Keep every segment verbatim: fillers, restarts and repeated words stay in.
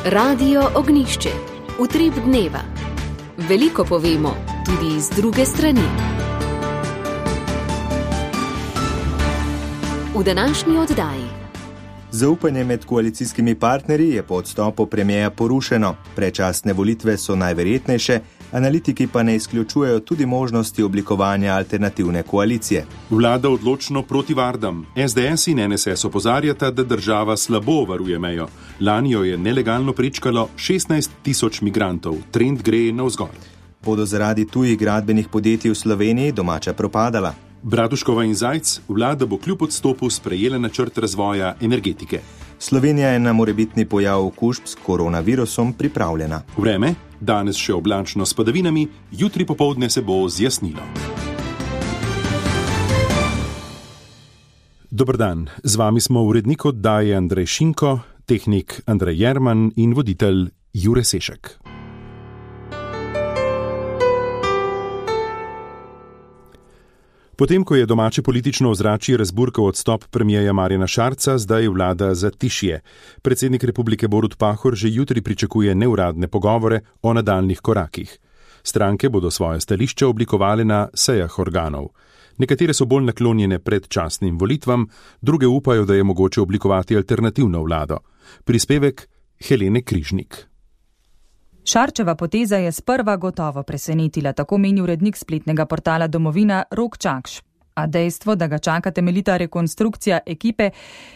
Radio Ognjišče. Utrip dneva. Veliko povemo tudi iz druge strani. V današnji oddaji. Zaupanje med koalicijskimi partnerji je po odstopu premierja porušeno. Predčasne volitve so najverjetnejše, analitiki pa ne izključujejo tudi možnosti oblikovanja alternativne koalicije. Vlada odločno proti Vardam. es de es in en es es opozarjata, da država slabo varuje mejo. Lani jo je nelegalno prečkalo šestnajst tisoč migrantov. Trend gre navzgor. Bodo zaradi tujih gradbenih podjetij v Sloveniji domača propadala? Bratuškova in Zajc, vlada bo kljub odstopu sprejela načrt razvoja energetike. Slovenija je na morebitni pojav okužb s koronavirusom pripravljena. Vreme, danes še oblačno s padavinami, jutri popoldne se bo zjasnilo. Dober dan, z vami smo urednik oddaje Andrej Šinko, tehnik Andrej Jerman in voditelj Jure Sešek. Potem, ko je domače politično ozračje razburkal odstop premierja Marjana Šarca, zdaj vlada za tišje. Predsednik republike Borut Pahor že jutri pričakuje neuradne pogovore o nadaljnih korakih. Stranke bodo svoje stališče oblikovale na sejah organov. Nekatere so bolj naklonjene predčasnim volitvam, druge upajo, da je mogoče oblikovati alternativno vlado. Prispevek Helene Križnik. Šarčeva poteza je sprva gotovo presenetila, tako meni urednik spletnega portala Domovina Rok Čakš. A dejstvo, da ga čaka temeljita rekonstrukcija ekipe,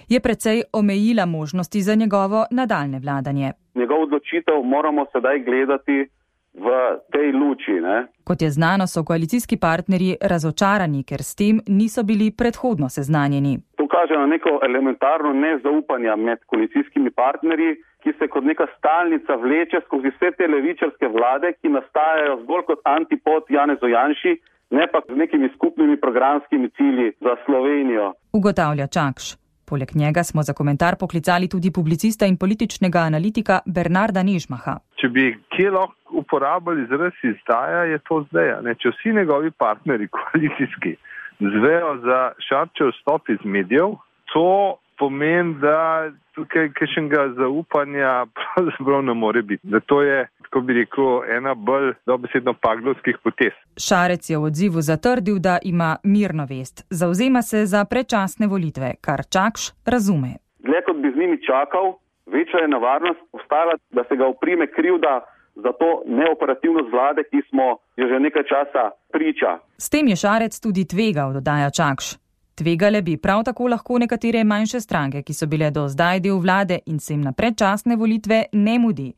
je precej omejila možnosti za njegovo nadaljne vladanje. Njegov odločitev moramo sedaj gledati v tej luči. Ne? Kot je znano, so koalicijski partnerji razočarani, ker s tem niso bili predhodno seznanjeni. To kaže na neko elementarno nezaupanje med koalicijskimi partnerji, ki se kot neka stalnica vleče skozi vse te levičarske vlade, ki nastajajo zgolj kot antipod Janezu Janši, ne pa z nekimi skupnimi programskimi cilji za Slovenijo. Ugotavlja Čakš. Poleg njega smo za komentar poklicali tudi publicista in političnega analitika Bernarda Nežmaha. Če bi kje lahko uporabili izraz izdaja, je to zdaj. Ne? Če vsi njegovi partnerji koalicijski zvejo za Šarčev stop iz medijev, to pomeni, da tukaj kakšnega zaupanja pravzaprav ne more biti. Da to je, tako bi rekel, ena bolj dobesedno paglovskih potez. Šarec je v odzivu zatrdil, da ima mirno vest. Zavzema se za predčasne volitve, kar Čakš razume. Dlje kot bi z njimi čakal, večja je nevarnost obstajala, da se ga oprime krivda za to neoperativnost vlade, ki smo jo že nekaj časa priča. S tem je Šarec tudi tvegal, dodaja Čakš. Tvegale bi prav tako lahko nekatere manjše stranke, ki so bile do zdaj del vlade in se jim na predčasne volitve ne mudi.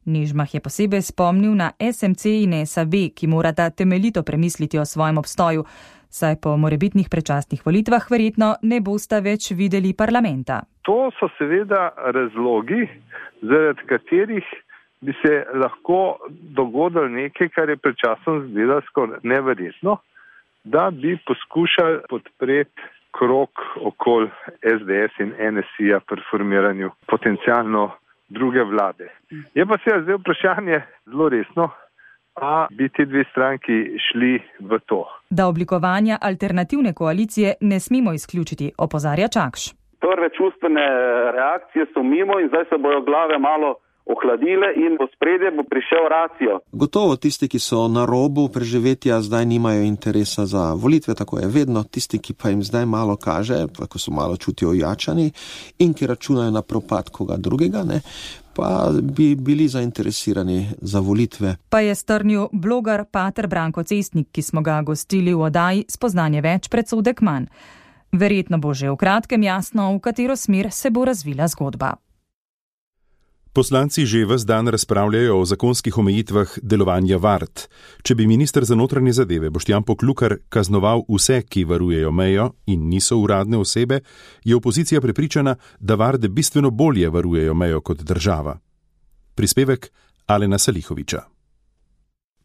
Nežmah je posebej spomnil na es em ce in es a be, ki morata temeljito premisliti o svojem obstoju, saj po morebitnih predčasnih volitvah verjetno ne bosta več videli parlamenta. To so seveda razlogi, zaradi katerih bi se lahko dogodilo nekaj, kar je predčasno zdelo skoraj neverjetno, da bi poskušali podpreti krog okoli es de es in en es i-ja pri formiranju potencialno druge vlade. Je pa seveda zdaj vprašanje zelo resno, a bi ti dve stranki šli v to. Da oblikovanja alternativne koalicije ne smemo izključiti, opozarja Čakš. Prve čustvene reakcije so mimo in zdaj se bojo glave malo ohladile in v spredje bo prišel racijo. Gotovo tisti, ki so na robu preživetja, zdaj nimajo interesa za volitve, tako je vedno. Tisti, ki pa jim zdaj malo kaže, ko so malo čutijo ojačani in ki računajo na propad koga drugega, ne, pa bi bili zainteresirani za volitve. Pa je strnil bloger pater Branko Cestnik, ki smo ga gostili v oddaji Spoznanje več predsodek manj. Verjetno bo že v kratkem jasno, v katero smer se bo razvila zgodba. Poslanci že ves dan razpravljajo o zakonskih omejitvah delovanja Vard. Če bi minister za notranje zadeve Boštjan Poklukar kaznoval vse, ki varujejo mejo in niso uradne osebe, je opozicija prepričana, da Varde bistveno bolje varujejo mejo kot država. Prispevek Alena Salihoviča.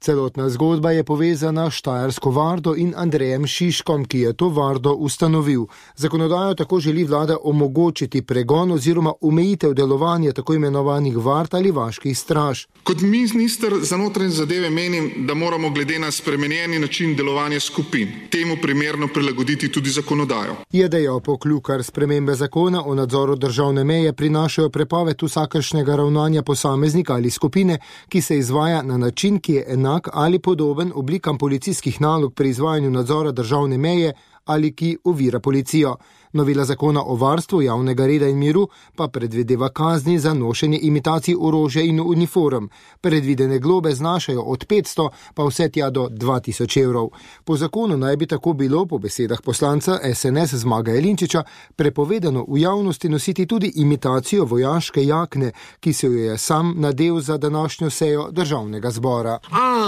Celotna zgodba je povezana s Štajersko vardo in Andrejem Šiškom, ki je to vardo ustanovil. Zakonodajo tako želi vlada omogočiti pregon oziroma omejitev delovanja tako imenovanih vard ali vaških straž. Kot minister za notranje zadeve menim, da moramo glede na spremenjeni način delovanja skupin temu primerno prilagoditi tudi zakonodajo. Je dejal Poklukar, spremembe zakona o nadzoru državne meje prinašajo prepoved vsakršnega ravnanja posameznika ali skupine, ki se izvaja na način, ki je enak ali podoben oblikam policijskih nalog pri izvajanju nadzora državne meje ali ki ovira policijo. Novela zakona o varstvu javnega reda in miru pa predvideva kazni za nošenje imitacij orožja in uniform. Predvidene globe znašajo od petsto pa vse tja do dva tisoč evrov. Po zakonu naj bi tako bilo, po besedah poslanca es en es Zmaga Jelinčiča, prepovedano v javnosti nositi tudi imitacijo vojaške jakne, ki se jo je sam nadel za današnjo sejo državnega zbora.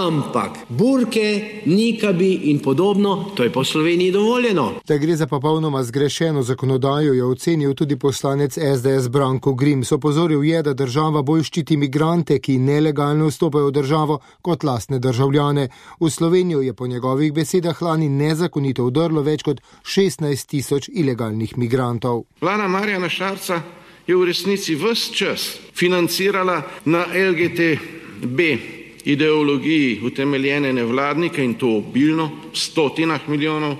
Ampak burke, nikabi in podobno, to je po Sloveniji dovoljeno. Da gre za popolnoma zgrešeno zakonodajo, je ocenil tudi poslanec es de es Branko Grims. Opozoril je, da država bolj ščiti migrante, ki nelegalno vstopajo v državo, kot lastne državljane. V Slovenijo je po njegovih besedah lani nezakonito vdrlo več kot šestnajst tisoč ilegalnih migrantov. Vlada Marjana Šarca je v resnici ves čas financirala na el ge te be ideologiji utemeljene nevladnike in to obilno, stotinah milijonov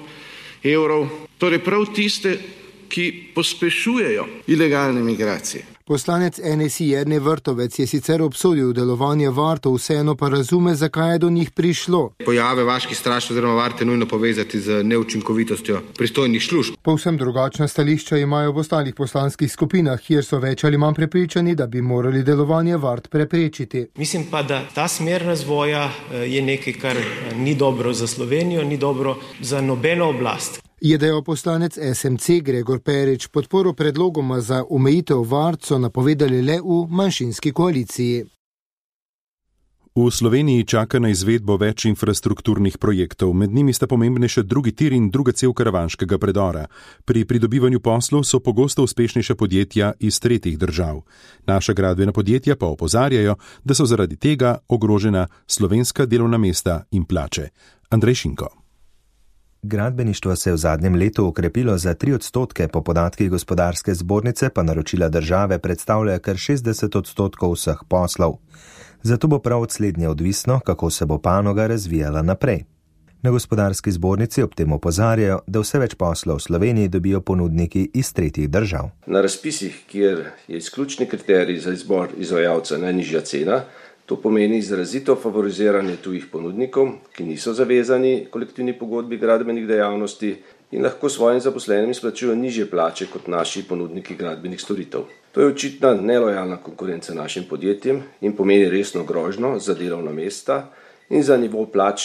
evrov, torej prav tiste, ki pospešujejo ilegalne migracije. Poslanec en es i Jernej Vrtovec je sicer obsodil delovanje vartov, vseeno pa razume, zakaj je do njih prišlo. Pojave vaških straž oziroma varte nujno povezati z neučinkovitostjo pristojnih služb. Povsem drugačna stališča imajo v ostalih poslanskih skupinah, kjer so več ali manj prepričani, da bi morali delovanje vart preprečiti. Mislim pa, da ta smer razvoja je nekaj, kar ni dobro za Slovenijo, ni dobro za nobeno oblast. Je dejal poslanec es em ce Gregor Perič. Podporo predlogoma za omejitev vart so napovedali le v manjšinski koaliciji. V Sloveniji čaka na izvedbo več infrastrukturnih projektov, med njimi sta pomembnejša drugi tir in druga cev karavanškega predora. Pri pridobivanju poslov so pogosto uspešnejša podjetja iz tretjih držav. Naša gradbena podjetja pa opozarjajo, da so zaradi tega ogrožena slovenska delovna mesta in plače. Andrej Šinko. Gradbeništvo se je v zadnjem letu okrepilo za tri odstotke, po podatkih gospodarske zbornice pa naročila države predstavljajo kar šestdeset odstotkov vseh poslov. Zato bo prav od slednje odvisno, kako se bo panoga razvijala naprej. Na gospodarski zbornici ob tem opozarjajo, da vse več poslov v Sloveniji dobijo ponudniki iz tretjih držav. Na razpisih, kjer je izključni kriterij za izbor izvajalca najnižja cena, to pomeni izrazito favoriziranje tujih ponudnikov, ki niso zavezani kolektivni pogodbi gradbenih dejavnosti in lahko svojim zaposlenim izplačujejo nižje plače kot naši ponudniki gradbenih storitev. To je očitna nelojalna konkurenca našim podjetjem in pomeni resno grožnjo za delovna mesta in za nivo plač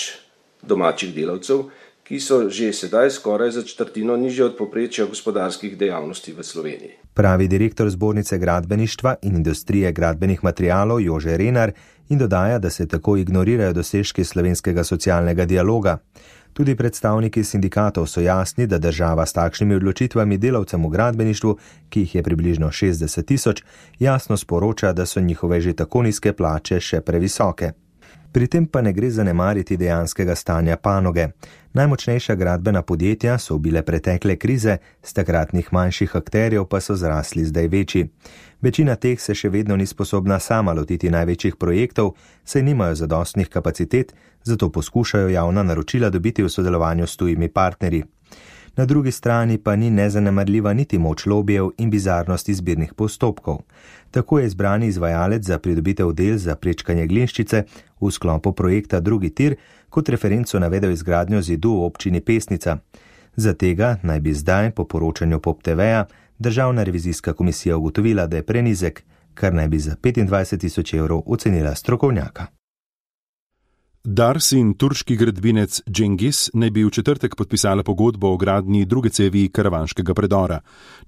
domačih delavcev, ki so že sedaj skoraj za četrtino nižje od povprečja gospodarskih dejavnosti v Sloveniji. Pravi direktor Zbornice gradbeništva in industrije gradbenih materialov Jože Renar in dodaja, da se tako ignorirajo dosežki slovenskega socialnega dialoga. Tudi predstavniki sindikatov so jasni, da država s takšnimi odločitvami delavcem v gradbeništvu, ki jih je približno šestdeset tisoč, jasno sporoča, da so njihove že tako nizke plače še previsoke. Pri tem pa ne gre zanemariti dejanskega stanja panoge. Najmočnejša gradbena podjetja so bile pretekle krize, z takratnih manjših akterjev pa so zrasli zdaj večji. Večina teh se še vedno ni sposobna sama lotiti največjih projektov, saj nimajo zadostnih kapacitet, zato poskušajo javna naročila dobiti v sodelovanju s tujimi partnerji. Na drugi strani pa ni nezanemarljiva niti moč lobijev in bizarnost izbirnih postopkov. Tako je izbrani izvajalec za pridobitev del za prečkanje Glinščice v sklopu projekta Drugi tir kot referenco navedel izgradnjo zidu v občini Pesnica. Za tega naj bi zdaj, po poročanju Pop te veja, Državna revizijska komisija ugotovila, da je prenizek, kar naj bi za petindvajset tisoč evrov ocenila strokovnjaka. Dars in turški gradbinec Cengiz naj bi v četrtek podpisala pogodbo o gradnji druge cevi karavanškega predora.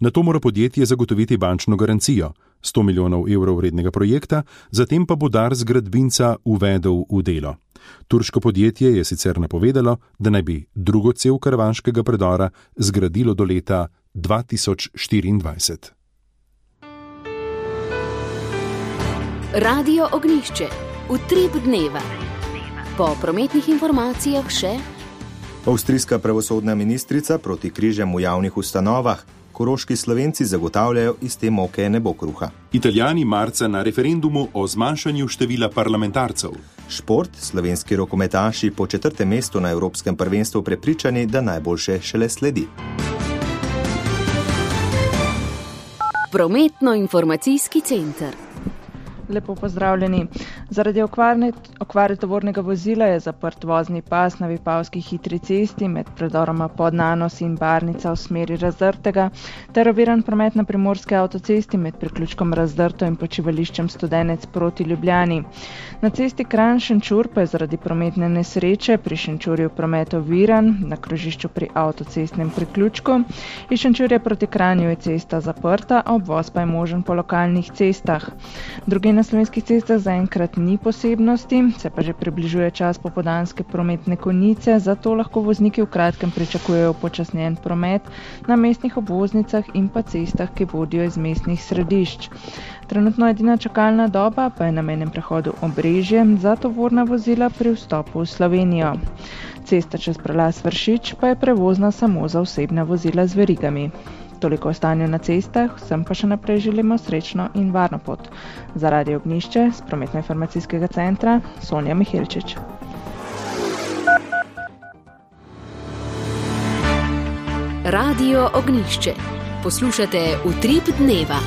Na to mora podjetje zagotoviti bančno garancijo, sto milijonov evrov vrednega projekta, zatem pa bo Dars gradbinca uvedel v delo. Turško podjetje je sicer napovedalo, da naj bi drugo cev karavanškega predora zgradilo do leta dva tisoč štiriindvajset. Radio Ognjišče. Utrip dneva. Po prometnih informacijah še avstrijska pravosodna ministrica proti križem v javnih ustanovah. Koroški Slovenci zagotavljajo, iz te moke ne bo kruha. Italijani marca na referendumu o zmanjšanju števila parlamentarcev. Šport, slovenski rokometaši po četrtem mestu na Evropskem prvenstvu prepričani, da najboljše šele sledi. Prometno-informacijski center. Lepo pozdravljeni. Zaradi okvarne, okvare tovornega vozila je zaprt vozni pas na Vipavski hitri cesti med predoroma Podnanos in Barnica v smeri Razdrtega, ter oviran promet na Primorski avtocesti med priključkom Razdrto in počivališčem Studenec proti Ljubljani. Na cesti Kranj-Šenčur pa je zaradi prometne nesreče pri Šenčurju promet oviran, na krožišču pri avtocestnem priključku. Iz Šenčurja proti Kranju je cesta zaprta, obvoz pa je možen po lokalnih cestah. Drugi na slovenskih cestah zaenkrat ni posebnosti, se pa že približuje čas popoldanske prometne konice, zato lahko vozniki v kratkem pričakujejo počasnjen promet na mestnih obvoznicah in pa cestah, ki vodijo iz mestnih središč. Trenutno edina čakalna doba pa je na mejnem prehodu Obrežje za tovorna vozila pri vstopu v Slovenijo. Cesta čez prelaz Vršič pa je prevozna samo za osebna vozila z verigami. Toliko o stanju na cestah, vsem pa še naprej želimo srečno in varno pot. Za Radio Ognišče z Prometno-informacijskega centra Sonja Mihelčič. Radio Ognišče. Poslušate Utrip dneva.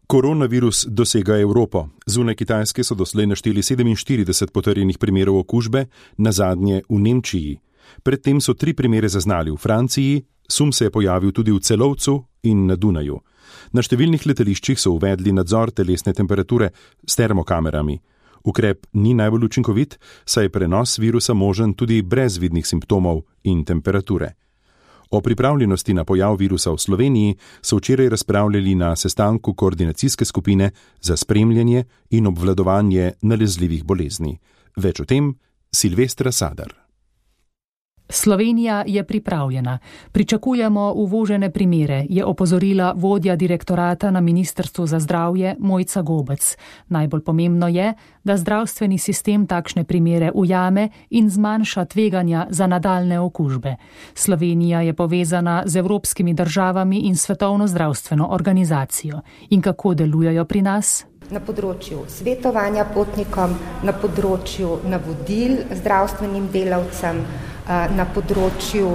Koronavirus dosega Evropo. Zunaj Kitajske so doslej našteli sedeminštirideset potrjenih primerov okužbe, nazadnje v Nemčiji. Predtem so tri primere zaznali v Franciji, sum se je pojavil tudi v Celovcu in na Dunaju. Na številnih letališčih so uvedli nadzor telesne temperature s termokamerami. Ukrep ni najbolj učinkovit, saj je prenos virusa možen tudi brez vidnih simptomov in temperature. O pripravljenosti na pojav virusa v Sloveniji so včeraj razpravljali na sestanku koordinacijske skupine za spremljanje in obvladovanje nalezljivih bolezni. Več o tem Silvestra Sadar. Slovenija je pripravljena. Pričakujemo uvožene primere, je opozorila vodja direktorata na Ministrstvu za zdravje Mojca Gobec. Najbolj pomembno je, da zdravstveni sistem takšne primere ujame in zmanjša tveganja za nadaljne okužbe. Slovenija je povezana z evropskimi državami in Svetovno zdravstveno organizacijo. In kako delujejo pri nas? Na področju svetovanja potnikom, na področju navodil zdravstvenim delavcem, na področju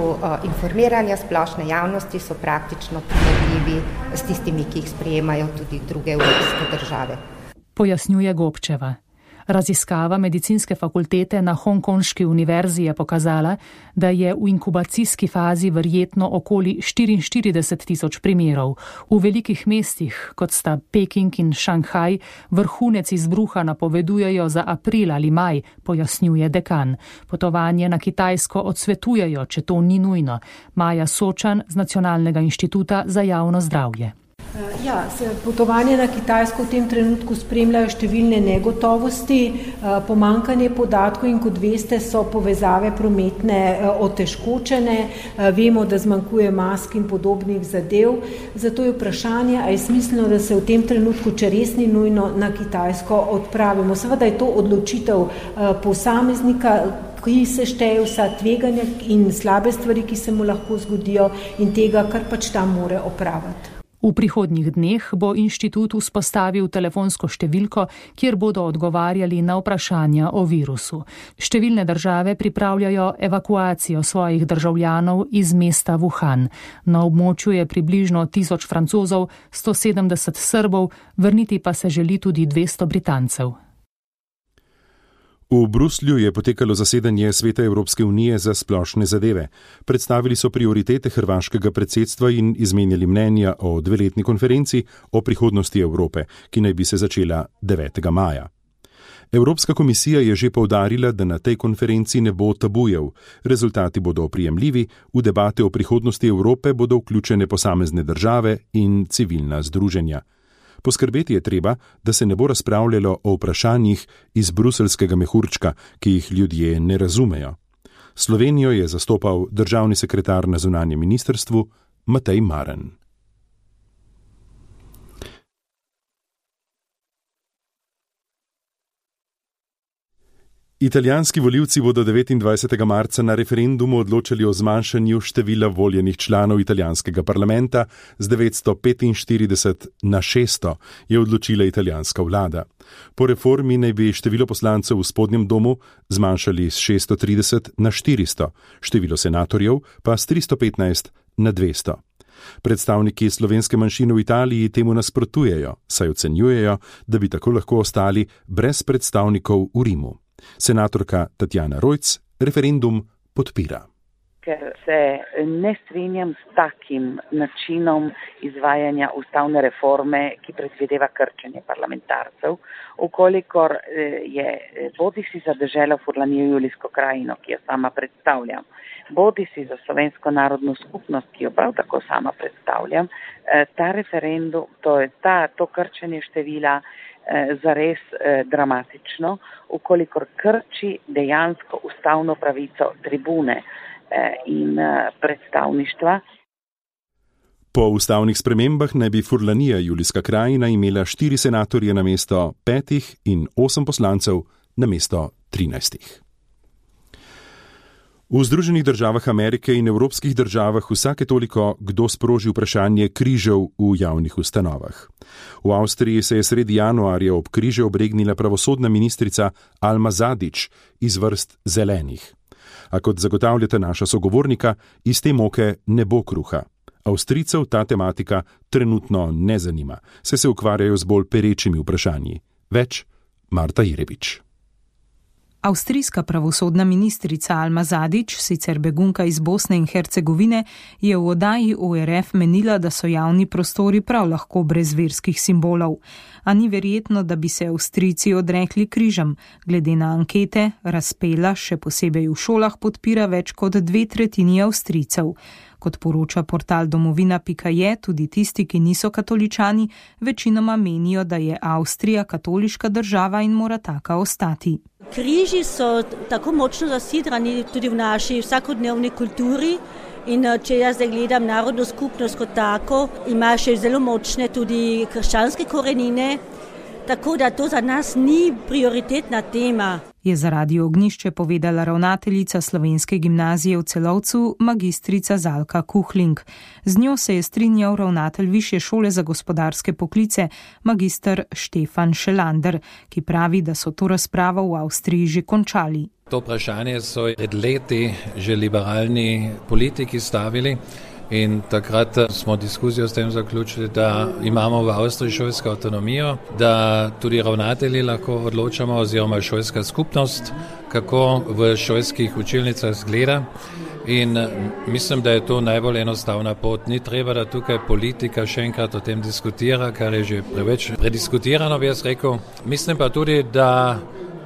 informiranja splošne javnosti so praktično primerljivi s tistimi, ki jih sprejemajo tudi druge evropske države. Pojasnjuje Gobčeva. Raziskava medicinske fakultete na Hongkonški univerzi je pokazala, da je v inkubacijski fazi verjetno okoli štiriinštirideset tisoč primerov. V velikih mestih, kot sta Peking in Šanghaj, vrhunec izbruha napovedujejo za april ali maj, pojasnjuje dekan. Potovanje na Kitajsko odsvetujejo, če to ni nujno. Maja Sočan z Nacionalnega inštituta za javno zdravje. Ja, potovanje na Kitajsko v tem trenutku spremljajo številne negotovosti, pomanjkanje podatkov in kot veste so povezave prometne otežkočene, vemo, da zmanjkuje mask in podobnih zadev, zato je vprašanje, a je smiselno, da se v tem trenutku, če res ni nujno, na Kitajsko odpravimo. Seveda je to odločitev posameznika, ki se šteje vsa tveganja in slabe stvari, ki se mu lahko zgodijo in tega, kar pač tam more opraviti. V prihodnjih dneh bo inštitut vzpostavil telefonsko številko, kjer bodo odgovarjali na vprašanja o virusu. Številne države pripravljajo evakuacijo svojih državljanov iz mesta Wuhan. Na območju je približno tisoč Francozov, sto sedemdeset Srbov, vrniti pa se želi tudi dvesto Britancev. V Bruslju je potekalo zasedanje Sveta Evropske unije za splošne zadeve. Predstavili so prioritete hrvaškega predsedstva in izmenjali mnenja o dveletni konferenci o prihodnosti Evrope, ki naj bi se začela devetega maja. Evropska komisija je že poudarila, da na tej konferenci ne bo tabujev. Rezultati bodo oprijemljivi, v debate o prihodnosti Evrope bodo vključene posamezne države in civilna združenja. Poskrbeti je treba, da se ne bo razpravljalo o vprašanjih iz bruselskega mehurčka, ki jih ljudje ne razumejo. Slovenijo je zastopal državni sekretar na zunanjem ministrstvu Matej Maren. Italijanski volivci bodo devetindvajsetega marca na referendumu odločali o zmanjšanju števila voljenih članov italijanskega parlamenta z devetsto petinštirideset na šeststo, je odločila italijanska vlada. Po reformi naj bi število poslancev v spodnjem domu zmanjšali z šeststo trideset na štiristo, število senatorjev pa s tristo petnajst na dvesto. Predstavniki slovenske manjšine v Italiji temu nasprotujejo, saj ocenjujejo, da bi tako lahko ostali brez predstavnikov v Rimu. Senatorka Tatjana Rojc referendum podpira. Ker se ne strinjam s takim načinom izvajanja ustavne reforme, ki predvideva krčenje parlamentarcev, ukolikor je bodi si za deželo Furlanijo Julijsko krajino, ki jo sama predstavljam, bodi si za slovensko narodno skupnost, ki jo prav tako sama predstavljam, ta referendum, to je ta, to krčenje števila zares dramatično, ukolikor krči dejansko ustavno pravico tribune in predstavništva. Po ustavnih spremembah naj bi Furlanija Julijska krajina imela štiri senatorje namesto petih in osem poslancev namesto trinajstih. V Združenih državah Amerike in evropskih državah vsake toliko kdo sproži vprašanje križev v javnih ustanovah. V Avstriji se je sredi januarja ob križe obregnila pravosodna ministrica Alma Zadić iz vrst zelenih. A kot zagotavljata naša sogovornika, iz te moke ne bo kruha. Avstrijcev ta tematika trenutno ne zanima, saj se ukvarjajo z bolj perečimi vprašanji. Več Marta Jerebič. Avstrijska pravosodna ministrica Alma Zadić, sicer begunka iz Bosne in Hercegovine, je v oddaji O R F menila, da so javni prostori prav lahko brez verskih simbolov. A ni verjetno, da bi se Avstrijci odrekli križem. Glede na ankete, razpela, še posebej v šolah, podpira več kot dve tretjini Avstrijcev. Kot poroča portal domovina pika je, tudi tisti, ki niso katoličani, večinoma menijo, da je Avstrija katoliška država in mora taka ostati. Križi so tako močno zasidrani tudi v naši vsakodnevni kulturi in če jaz zdaj gledam narodno skupnost kot tako, ima še zelo močne tudi krščanske korenine, tako da to za nas ni prioritetna tema. Je za Radio Ognjišče povedala ravnateljica Slovenske gimnazije v Celovcu, magistrica Zalka Kuhling. Z njo se je strinjal ravnatelj Višje šole za gospodarske poklice, magister Štefan Šelander, ki pravi, da so to razpravo v Avstriji že končali. To vprašanje so pred leti že liberalni politiki stavili. In takrat smo diskusijo s tem zaključili, da imamo v Avstriji šolsko avtonomijo, da tudi ravnatelji lahko odločamo oziroma šolska skupnost, kako v šolskih učilnicah zgleda. In mislim, da je to najbolj enostavna pot. Ni treba, da tukaj politika še enkrat o tem diskutira, kar je že preveč prediskutirano, bi jaz rekel. Mislim pa tudi, da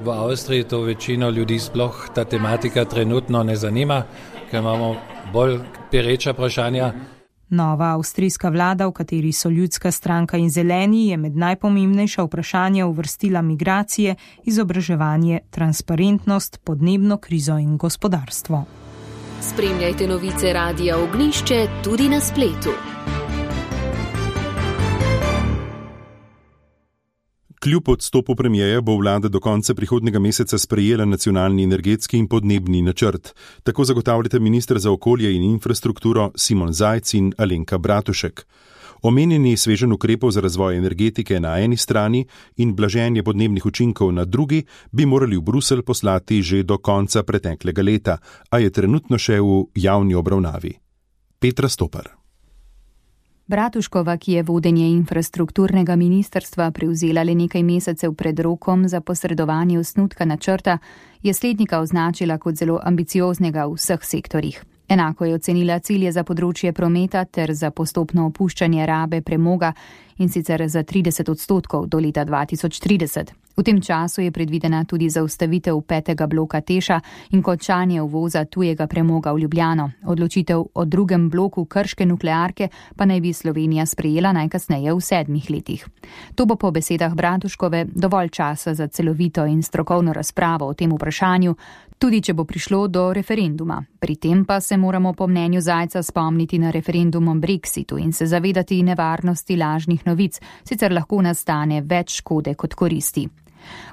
v Avstriji to večino ljudi sploh ta tematika trenutno ne zanima, ker imamo bolj pereča vprašanja. Nova avstrijska vlada, v kateri so Ljudska stranka in Zeleni, je med najpomembnejša vprašanja uvrstila migracije, izobraževanje, transparentnost, podnebno krizo in gospodarstvo. Spremljajte novice Radia Ognjišče tudi na spletu. Kljub odstopu premijeja bo vlada do konca prihodnjega meseca sprejela nacionalni energetski in podnebni načrt. Tako zagotavljata minister za okolje in infrastrukturo Simon Zajc in Alenka Bratušek. Omenjeni sveženj ukrepov za razvoj energetike na eni strani in blaženje podnebnih učinkov na drugi bi morali v Bruselj poslati že do konca preteklega leta, a je trenutno še v javni obravnavi. Petra Stopar. Bratuškova, ki je vodenje infrastrukturnega ministrstva prevzela le nekaj mesecev pred rokom za posredovanje osnutka načrta, je slednika označila kot zelo ambicioznega v vseh sektorjih. Enako je ocenila cilje za področje prometa ter za postopno opuščanje rabe premoga in sicer za trideset odstotkov do leta dva tisoč trideset. V tem času je predvidena tudi zaustavitev petega bloka Teša in končanje uvoza tujega premoga v Ljubljano. Odločitev o drugem bloku krške nuklearke pa naj bi Slovenija sprejela najkasneje v sedmih letih. To bo po besedah Bratuškove dovolj časa za celovito in strokovno razpravo o tem vprašanju, tudi če bo prišlo do referenduma. Pri tem pa se moramo po mnenju Zajca spomniti na referendum o Brexitu in se zavedati nevarnosti lažnih novic, sicer lahko nastane več škode kot koristi.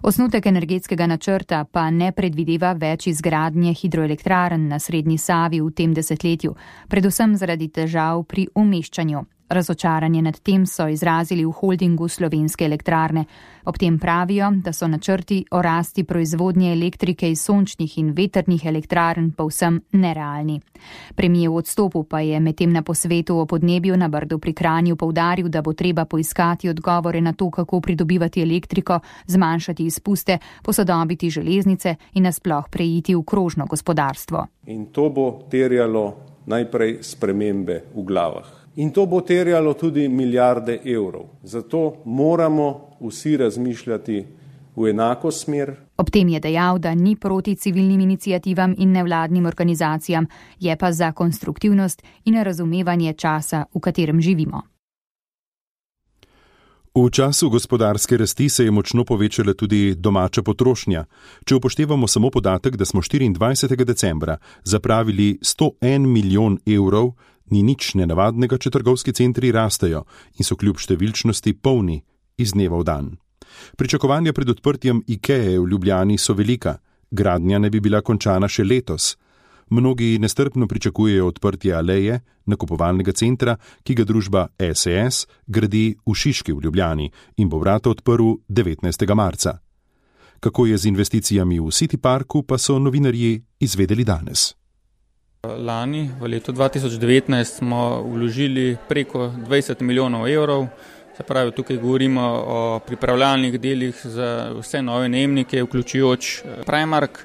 Osnutek energetskega načrta pa ne predvideva več izgradnje hidroelektrarn na srednji Savi v tem desetletju, predvsem zaradi težav pri umeščanju. Razočaranje nad tem so izrazili v holdingu Slovenske elektrarne. Ob tem pravijo, da so načrti o rasti proizvodnje elektrike iz sončnih in vetrnih elektrarn povsem nerealni. Premijer v odstopu pa je medtem na posvetu o podnebju na Brdu pri Kranju poudaril, da bo treba poiskati odgovore na to, kako pridobivati elektriko, zmanjšati izpuste, posodobiti železnice in nasploh preiti v krožno gospodarstvo. In to bo terjalo najprej spremembe v glavah. In to bo terjalo tudi milijarde evrov. Zato moramo vsi razmišljati v enako smer. Ob tem je dejal, da ni proti civilnim iniciativam in nevladnim organizacijam, je pa za konstruktivnost in razumevanje časa, v katerem živimo. V času gospodarske rasti se je močno povečala tudi domača potrošnja. Če upoštevamo samo podatek, da smo štiriindvajsetega decembra zapravili sto en milijon evrov, ni nič nenavadnega, če trgovski centri rastejo in so kljub številčnosti polni iz dneva v dan. Pričakovanja pred odprtjem Ikeje v Ljubljani so velika. Gradnja ne bi bila končana še letos. Mnogi nestrpno pričakujejo odprtje Aleje, nakupovalnega centra, ki ga družba S E S gradi v Šiški v Ljubljani in bo vrata odprl devetnajstega marca. Kako je z investicijami v City Parku, pa so novinarji izvedeli danes. Lani, v letu dva tisoč devetnajst, smo vložili preko dvajset milijonov evrov, se pravi, tukaj govorimo o pripravljalnih delih za vse nove najemnike, vključujoč Primark,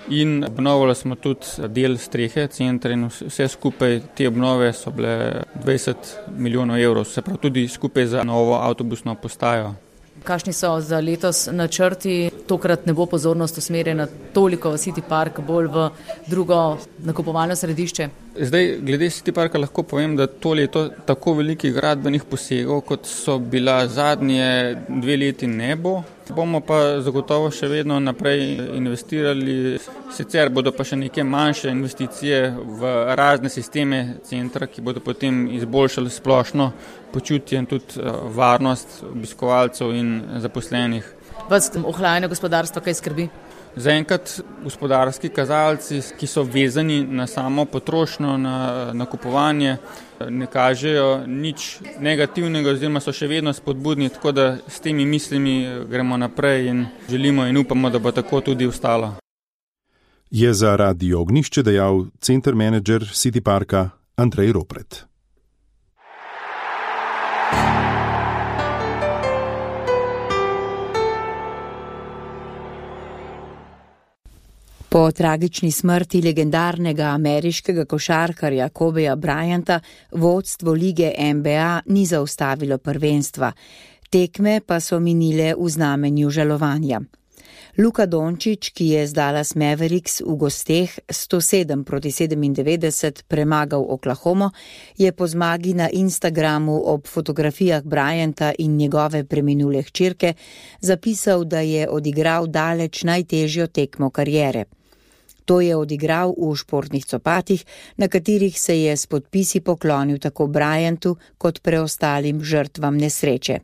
in obnovili smo tudi del strehe centra in vse skupaj te obnove so bile dvajset milijonov evrov, se pravi tudi skupaj za novo avtobusno postajo. Kakšni so za letos načrti? Tokrat ne bo pozornost usmerjena toliko v City Park, bolj v drugo nakupovalno središče. Zdaj, glede City Parka lahko povem, da to leto tako velikih gradbenih posegov, kot so bila zadnje dve leti, ne bo. Bomo pa zagotovo še vedno naprej investirali, sicer bodo pa še neke manjše investicije v razne sisteme centra, ki bodo potem izboljšali splošno počutje in tudi varnost obiskovalcev in zaposlenih. Vas ohlajanje gospodarstva kaj skrbi? Zaenkrat gospodarski kazalci, ki so vezani na samo potrošnjo, na nakupovanje, ne kažejo nič negativnega oziroma so še vedno spodbudni, tako da s temi mislimi gremo naprej in želimo in upamo, da bo tako tudi ostalo. Je za Radio Ognjišče dejal center menedžer City Parka Andrej Ropret. Po tragični smrti legendarnega ameriškega košarkarja Kobeja Bryanta vodstvo lige N B A ni zaustavilo prvenstva. Tekme pa so minile v znamenju žalovanja. Luka Dončić, ki je z Dallas Mavericks v gosteh sto sedem proti sedemindevetdeset premagal Oklahomo, je po zmagi na Instagramu ob fotografijah Bryanta in njegove preminule hčerke zapisal, da je odigral daleč najtežjo tekmo kariere. To je odigral v športnih copatih, na katerih se je s podpisi poklonil tako Bryantu kot preostalim žrtvam nesreče.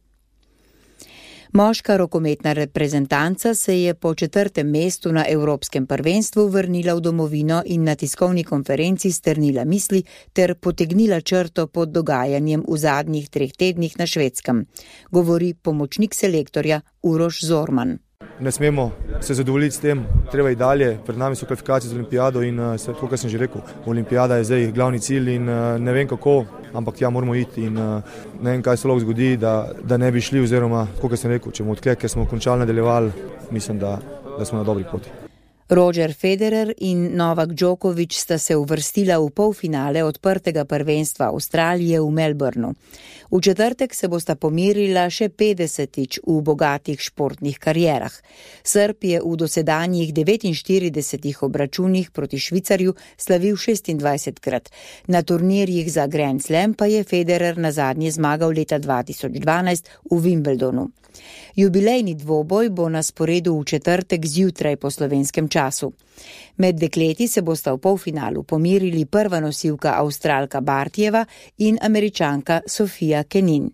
Moška rokometna reprezentanca se je po četrtem mestu na Evropskem prvenstvu vrnila v domovino in na tiskovni konferenci strnila misli ter potegnila črto pod dogajanjem v zadnjih treh tednih na Švedskem, govori pomočnik selektorja Uroš Zorman. Ne smemo se zadovoljiti s tem, treba iti dalje, pred nami so kvalifikacije za olimpijado in vse to, kar sem že rekel. Olimpijada je zdaj glavni cilj in ne vem kako, ampak ja, moramo iti in ne vem, kaj se lahko zgodi, da, da ne bi šli oziroma, kot sem rekel, če bomo odkle, ker smo končali nadaljevali, mislim, da, da smo na dobri poti. Roger Federer in Novak Djokovic sta se uvrstila v polfinale odprtega prvenstva Avstralije v Melbourneu. V četrtek se bosta pomirila še petdesetič v bogatih športnih karierah. Srb je v dosedanjih devetinštiridesetih obračunih proti Švicarju slavil šestindvajsetkrat. Na turnirjih za Grand Slam pa je Federer nazadnje zmagal leta dva tisoč dvanajst v Wimbledonu. Jubilejni dvoboj bo na sporedu v četrtek zjutraj po slovenskem času. Med dekleti se bosta v polfinalu pomirili prva nosilka Avstralka Bartijeva in Američanka Sofia Kenin.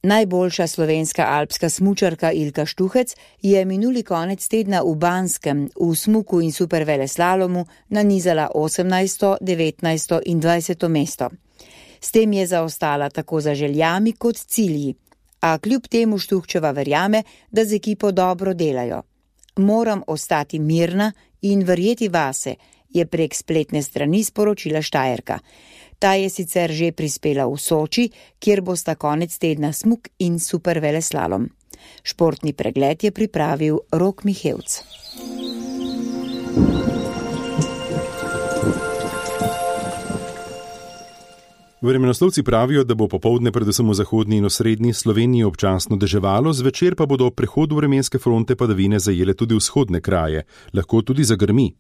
Najboljša slovenska alpska smučarka Ilka Štuhec je minuli konec tedna v Banskem v smuku in superveleslalomu nanizala osemnajsto, devetnajsto in dvajseto mesto. S tem je zaostala tako za željami kot cilji, a kljub temu Štuhčeva verjame, da z ekipo dobro delajo. Moram ostati mirna in verjeti vase, je prek spletne strani sporočila Štajerka. Ta je sicer že prispela v Soči, kjer bosta konec tedna smuk in superveleslalom. Športni pregled je pripravil Rok Mihevc. Vremenoslovci pravijo, da bo popoldne predvsem v zahodni in osrednji Sloveniji občasno deževalo, zvečer pa bodo ob prehodu vremenske fronte padavine zajele tudi vzhodne kraje, lahko tudi zagrmi.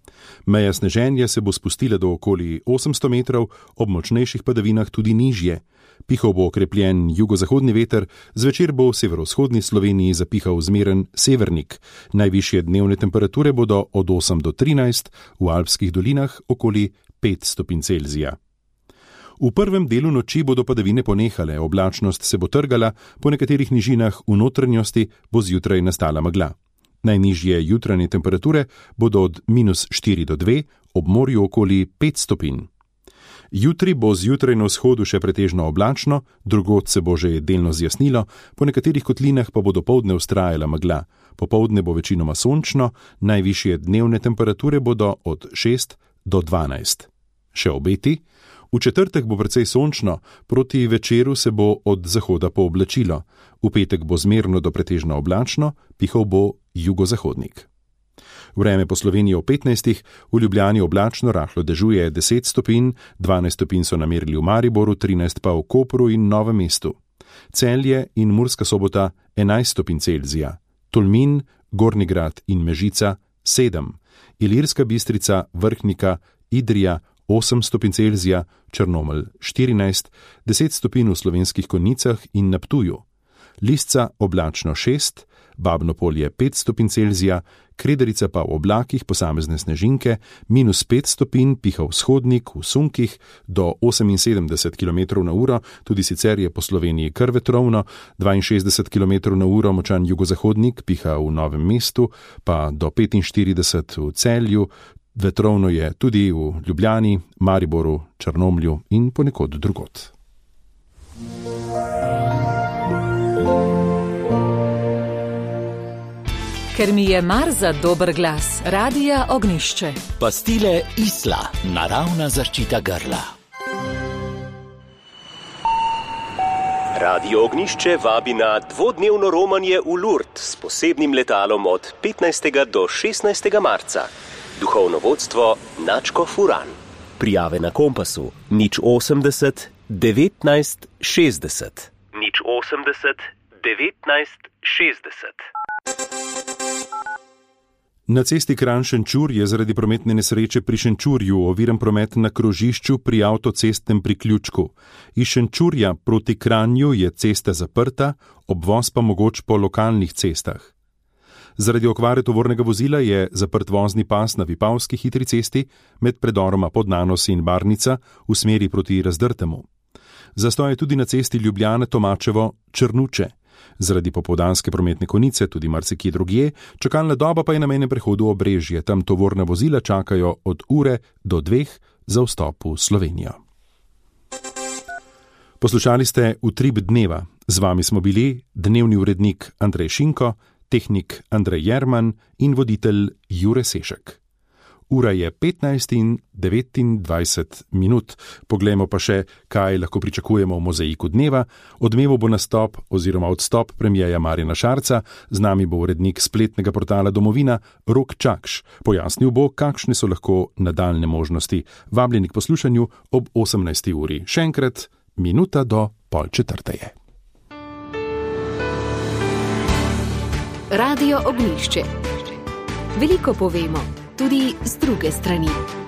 Meja sneženja se bo spustila do okoli osemsto metrov, ob močnejših padavinah tudi nižje. Pihal bo okrepljen jugozahodni veter, zvečer bo v severovzhodni Sloveniji zapihal zmeren severnik. Najvišje dnevne temperature bodo od osem do trinajst, v alpskih dolinah okoli pet stopinj Celzija. V prvem delu noči bodo padavine ponehale, oblačnost se bo trgala, po nekaterih nižinah v notranjosti bo zjutraj nastala megla. Najnižje jutranje temperature bodo od minus štiri do dve, ob morju okoli pet stopinj. Jutri bo zjutraj na vzhodu še pretežno oblačno, drugod se bo že delno zjasnilo, po nekaterih kotlinah pa bo dopoldne vztrajala megla. Popoldne bo večinoma sončno, najvišje dnevne temperature bodo od šest do dvanajst. Še obeti? V četrtek bo precej sončno, proti večeru se bo od zahoda pooblačilo. V petek bo zmerno do pretežno oblačno, pihal bo jugozahodnik. Vreme po Sloveniji ob petnajstih, v Ljubljani oblačno, rahlo dežuje deset stopinj, dvanajst stopinj so namerili v Mariboru, trinajst pa v Kopru in Novem mestu. Celje in Murska Sobota enajst stopinj Celzija, Tolmin, Gornji Grad in Mežica sedem, Ilirska Bistrica, Vrhnika, Idrija osem stopinj Celzija, Črnomelj štirinajst, deset stopinj v Slovenskih Konjicah in na Ptuju, Lisca oblačno šest, Babno Polje pet stopinj Celzija, Krederica pa v oblakih posamezne snežinke, minus pet stopinj, piha vzhodnik v sunkih do oseminsedemdeset kilometrov na uro, tudi sicer je po Sloveniji kar vetrovno, dvainšestdeset kilometrov na uro močan jugozahodnik, piha v Novem mestu, pa do petinštirideset v Celju. Vetrovno je tudi v Ljubljani, Mariboru, Črnomlju in ponekod drugod. Ker mi je mar za dober glas, Radia Ognjišče. Pastile Isla, naravna zaščita grla. Radio Ognjišče vabi na dvodnevno romanje v Lourdes s posebnim letalom od petnajstega do šestnajstega marca. Duhovno vodstvo Načko Furan. Prijave na Kompasu nič osemdeset devetnajst šestdeset. nič osemdeset devetnajst šestdeset. Na cesti Kranj-Šenčur je zaradi prometne nesreče pri Šenčurju oviran promet na krožišču pri avtocestnem priključku. Iz Šenčurja proti Kranju je cesta zaprta, obvoz pa mogoč po lokalnih cestah. Zaradi okvare tovornega vozila je zaprt vozni pas na Vipavski hitri cesti med predoroma Podnanos in Barnica v smeri proti Razdrtemu. Zastoj je tudi na cesti Ljubljana-Tomačevo-Črnuče. Zaradi popoldanske prometne konice tudi marsikje drugje, čakalna doba pa je na mejnem prehodu Obrežje, tam tovorna vozila čakajo od ure do dveh za vstop v Slovenijo. Poslušali ste Utrip dneva. Z vami smo bili dnevni urednik Andrej Šinko, tehnik Andrej Jerman in voditelj Jure Sešek. Ura je petnajst in devetindvajset minut. Poglejmo pa še, kaj lahko pričakujemo v mozaiku dneva. Odmeval bo nastop oziroma odstop premierja Marjana Šarca, z nami bo urednik spletnega portala Domovina Rok Čakš. Pojasnil bo, kakšne so lahko nadaljne možnosti. Vabljeni k poslušanju ob osemnajsti uri. Še enkrat, minuta do pol četrte je. Radio Ognjišče. Veliko povemo, tudi z druge strani.